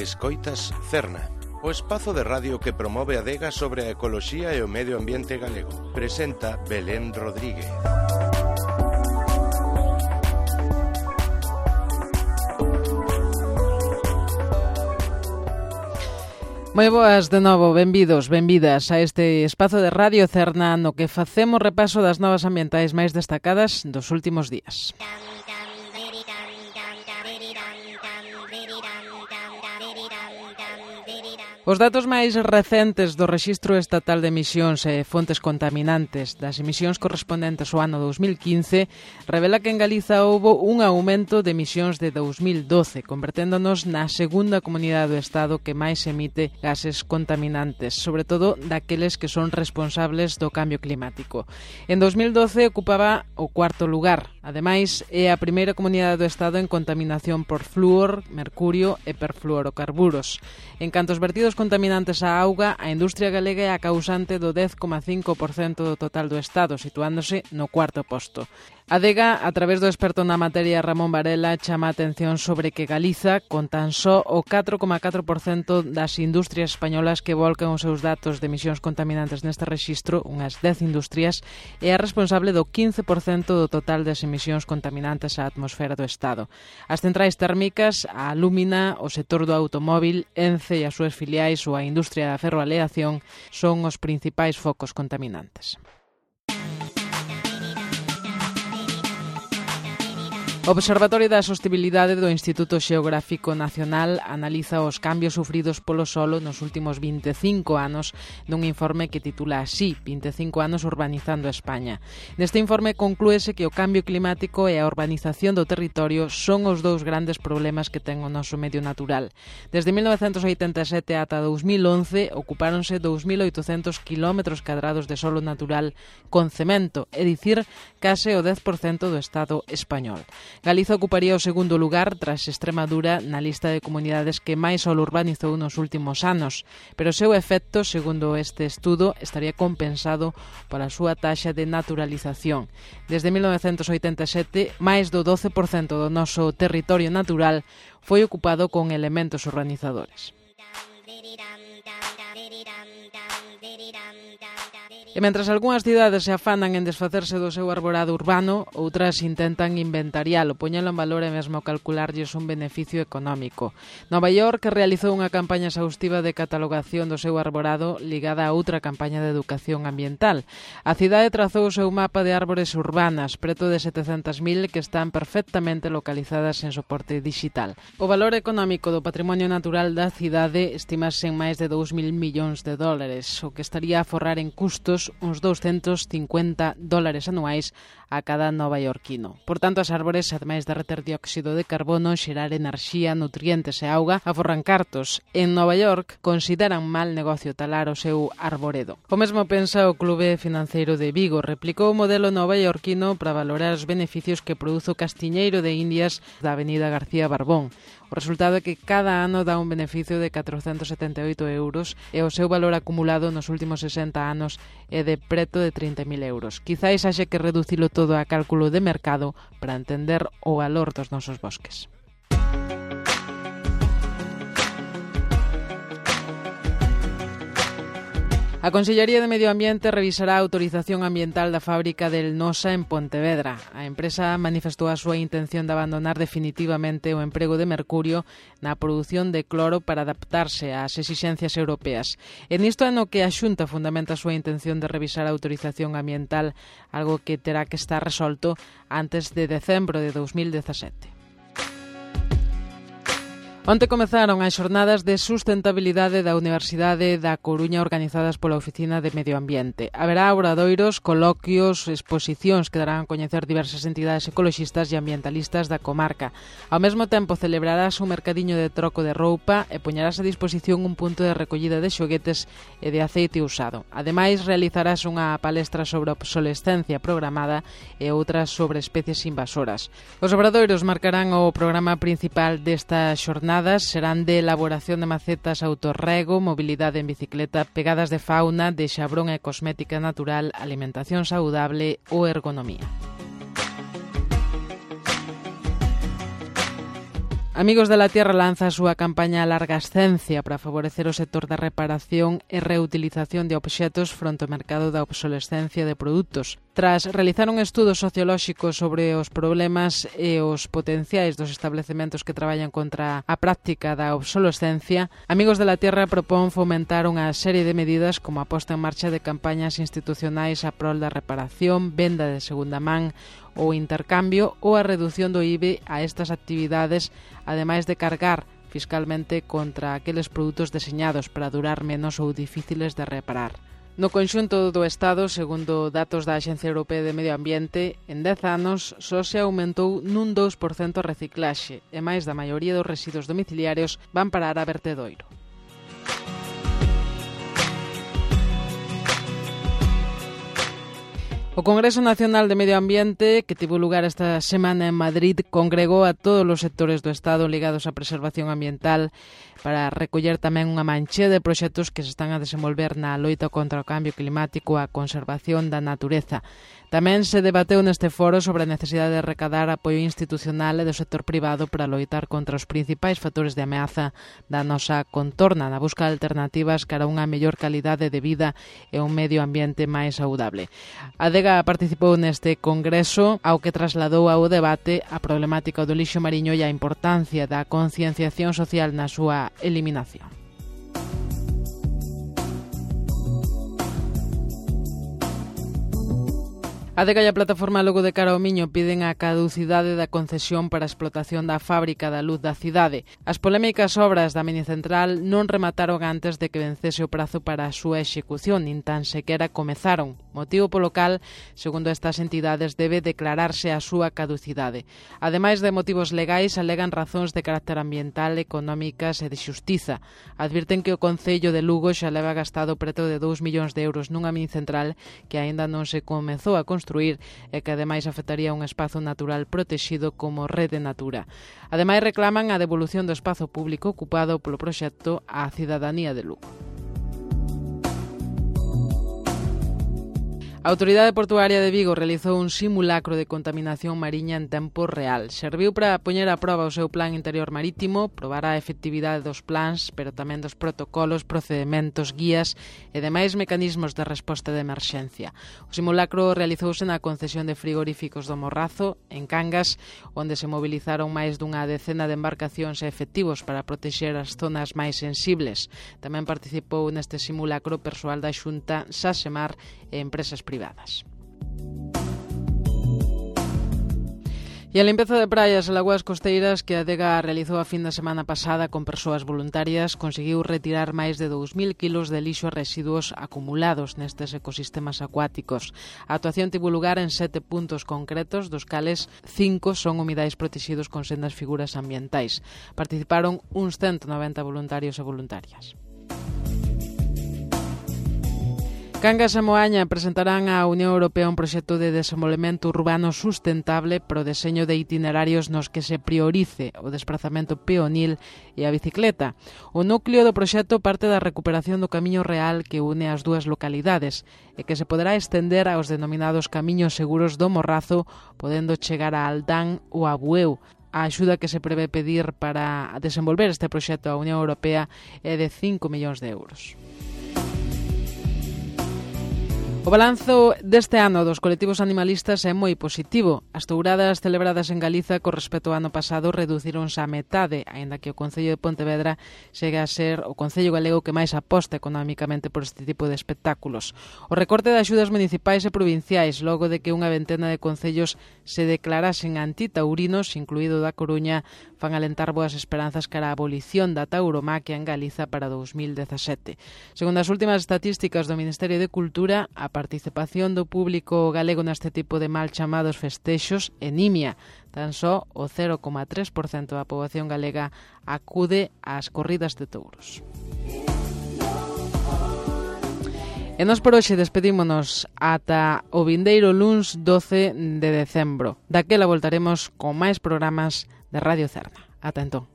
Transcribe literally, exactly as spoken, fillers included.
Escoitas Cerna, o espazo de radio que promove a adega sobre a ecoloxía e o medio ambiente galego. Presenta Belén Rodríguez. Moi boas de novo, benvidos, benvidas a este espazo de Radio Cerna no que facemos repaso das novas ambientais máis destacadas dos últimos días. Os datos máis recentes do Rexistro Estatal de Emisións e Fontes Contaminantes das emisións correspondentes ao ano dous mil quince revela que en Galiza houbo un aumento de emisións de dous mil doce, converténdonos na segunda comunidade do Estado que máis emite gases contaminantes, sobre todo daqueles que son responsables do cambio climático. En dous mil doce ocupaba o cuarto lugar. Ademais, é a primeira comunidade do Estado en contaminación por flúor, mercurio e perfluorocarburos. En canto aos vertidos contaminantes á auga, a industria galega é a causante do dez coma cinco por cento do total do Estado, situándose no cuarto posto. A Adega, a través do experto na materia Ramón Varela, chama a atención sobre que Galiza, con tan só o catro coma catro por cento das industrias españolas que volcan os seus datos de emisións contaminantes neste rexistro, unhas dez industrias, é a responsable do quince por cento do total das emisións contaminantes á atmosfera do Estado. As centrais térmicas, a Alúmina, o sector do automóbil, Ence e as súas filiais ou a industria da ferroaleación son os principais focos contaminantes. O Observatorio da Sostibilidade do Instituto Xeográfico Nacional analiza os cambios sufridos polo solo nos últimos vinte e cinco anos nun informe que titula así, vinte e cinco anos urbanizando España. Neste informe conclúese que o cambio climático e a urbanización do territorio son os dous grandes problemas que ten o noso medio natural. Desde mil novecentos oitenta e sete ata dous mil once ocupáronse dous mil oitocentos kilómetros cadrados de solo natural con cemento, é dicir, case o dez por cento do Estado español. Galiza ocuparía o segundo lugar tras Extremadura na lista de comunidades que máis solo urbanizou nos últimos anos, pero o seu efecto, segundo este estudo, estaría compensado pola súa taxa de naturalización. Desde mil novecentos oitenta e sete, máis do doce por cento do noso territorio natural foi ocupado con elementos urbanizadores. E mentras algunhas cidades se afanan en desfacerse do seu arborado urbano, outras intentan inventarialo, poñelo en valor e mesmo calcularlles un beneficio económico. Nova York realizou unha campaña exhaustiva de catalogación do seu arborado ligada a outra campaña de educación ambiental. A cidade trazou o seu mapa de árbores urbanas, preto de setecentas mil que están perfectamente localizadas en soporte digital. O valor económico do patrimonio natural da cidade estimase en máis de dous mil millóns de dólares, o que estaría a forrar en custos uns douscentos cincuenta dólares anuais a cada novaiorquino. Por tanto, as árbores, ademais de reter dióxido de carbono, xerar enerxía, nutrientes e auga, aforran cartos. En Nova York consideran mal negocio talar o seu arboredo. O mesmo pensa o Clube Financeiro de Vigo. Replicou o modelo novaiorquino para valorar os beneficios que produzo o castiñeiro de Indias da Avenida García Barbón. O resultado é que cada ano dá un beneficio de catrocentos setenta e oito euros e o seu valor acumulado nos últimos sesenta anos é de preto de trinta mil euros. Quizáis haxe que reducilo todo a cálculo de mercado para entender o valor dos nosos bosques. A Consellería de Medio Ambiente revisará a autorización ambiental da fábrica del Nosa en Pontevedra. A empresa manifestou a súa intención de abandonar definitivamente o emprego de mercurio na produción de cloro para adaptarse ás exixencias europeas. E nisto é no que a Xunta fundamenta a súa intención de revisar a autorización ambiental, algo que terá que estar resolto antes de decembro de dous mil dezasete. Onte comezaron as xornadas de sustentabilidade da Universidade da Coruña organizadas pola Oficina de Medio Ambiente. Haberá obradoiros, coloquios, exposicións que darán a coñecer diversas entidades ecoloxistas e ambientalistas da comarca. Ao mesmo tempo celebrarás un mercadiño de troco de roupa e poñerás a disposición un punto de recollida de xoguetes e de aceite usado. Ademais, realizarás unha palestra sobre a obsolescencia programada e outras sobre especies invasoras. Os obradoiros marcarán o programa principal desta xornada. Serán de elaboración de macetas autorrego, mobilidade en bicicleta, pegadas de fauna, de xabrón e cosmética natural, alimentación saudable ou ergonomía. A Amigos de la Tierra lanza a súa campaña Largascencia para favorecer o sector da reparación e reutilización de obxetos fronte ao mercado da obsolescencia de produtos. Tras realizar un estudo sociolóxico sobre os problemas e os potenciais dos establecementos que traballan contra a práctica da obsolescencia, Amigos de la Tierra propón fomentar unha serie de medidas como a posta en marcha de campañas institucionais a prol da reparación, venda de segunda man ou intercambio ou a redución do I B E a estas actividades, ademais de cargar fiscalmente contra aqueles produtos deseñados para durar menos ou difíciles de reparar. No conxunto do Estado, segundo datos da Axencia Europea de Medio Ambiente, en dez anos só se aumentou nun dous por cento a reciclaxe e máis da maioría dos residuos domiciliarios van parar a vertedoiro. O Congreso Nacional de Medio Ambiente, que tivo lugar esta semana en Madrid, congregou a todos os sectores do Estado ligados á preservación ambiental para recoller tamén unha manchea de proxectos que se están a desenvolver na loita contra o cambio climático e a conservación da natureza. Tamén se debateu neste foro sobre a necesidade de recadar apoio institucional e do sector privado para loitar contra os principais factores de ameaza da nosa contorna na busca de alternativas cara a unha mellor calidade de vida e un medio ambiente máis saudable. A Adega participou neste congreso, ao que trasladou ao debate a problemática do lixo mariño e a importancia da concienciación social na súa eliminación. A Adega e a plataforma Logo de Cara ao Miño piden a caducidade da concesión para a explotación da fábrica da luz da cidade. As polémicas obras da minicentral non remataron antes de que vencese o prazo para a súa execución, nin tan sequera comezaron, motivo polo cal, segundo estas entidades, debe declararse a súa caducidade. Ademais de motivos legais, alegan razóns de carácter ambiental, económicas e de xustiza. Advirten que o Concello de Lugo xa leva gastado preto de dous millóns de euros nunha minicentral que aínda non se comezou a construir construir e que ademais afectaría un espazo natural protexido como Rede Natura. Ademais reclaman a devolución do espazo público ocupado polo proxecto á cidadanía de Lugo. A Autoridade Portuaria de Vigo realizou un simulacro de contaminación mariña en tempo real. Serviu para poñer a proba o seu plan interior marítimo, probar a efectividade dos plans, pero tamén dos protocolos, procedementos, guías e demais mecanismos de resposta de emerxencia. O simulacro realizouse na concesión de frigoríficos do Morrazo, en Cangas, onde se mobilizaron máis dunha decena de embarcacións e efectivos para protexer as zonas máis sensibles. Tamén participou neste simulacro persoal da Xunta, Sasemar e empresas privadas. E a limpeza de praias e lagoas costeiras que a Adega realizou a fin de semana pasada con persoas voluntarias conseguiu retirar máis de dous mil kilos de lixo e residuos acumulados nestes ecosistemas acuáticos. A actuación tivo lugar en sete puntos concretos, dos cales cinco son humidais protegidos con sendas figuras ambientais. Participaron uns ciento noventa voluntarios e voluntarias. Cangas e Moaña presentarán á Unión Europea un proxecto de desenvolvemento urbano sustentable para o deseño de itinerarios nos que se priorice o desplazamento peonil e a bicicleta. O núcleo do proxecto parte da recuperación do camiño real que une as dúas localidades e que se poderá estender aos denominados camiños seguros do Morrazo, podendo chegar a Aldán ou a Bueu. A axuda que se prevé pedir para desenvolver este proxecto á Unión Europea é de cinco millóns de euros. O balanzo deste ano dos colectivos animalistas é moi positivo. As touradas celebradas en Galiza con respecto ao ano pasado reducironse a metade, aínda que o Concello de Pontevedra chega a ser o Concello galego que máis aposta económicamente por este tipo de espectáculos. O recorte de axudas municipais e provinciais, logo de que unha ventena de concellos se declarasen antitaurinos, incluído da Coruña, fan alentar boas esperanzas cara a abolición da tauromaquia en Galiza para dous mil dezasete. Segundo as últimas estatísticas do Ministerio de Cultura, a participación do público galego neste tipo de mal chamados festexos é nimia. Tan só o cero coma tres por cento da poboación galega acude ás corridas de touros. E nos por hoxe despedímonos ata o vindeiro luns doce de decembro. Daquela voltaremos con máis programas de Radio Cerna. Ata entón.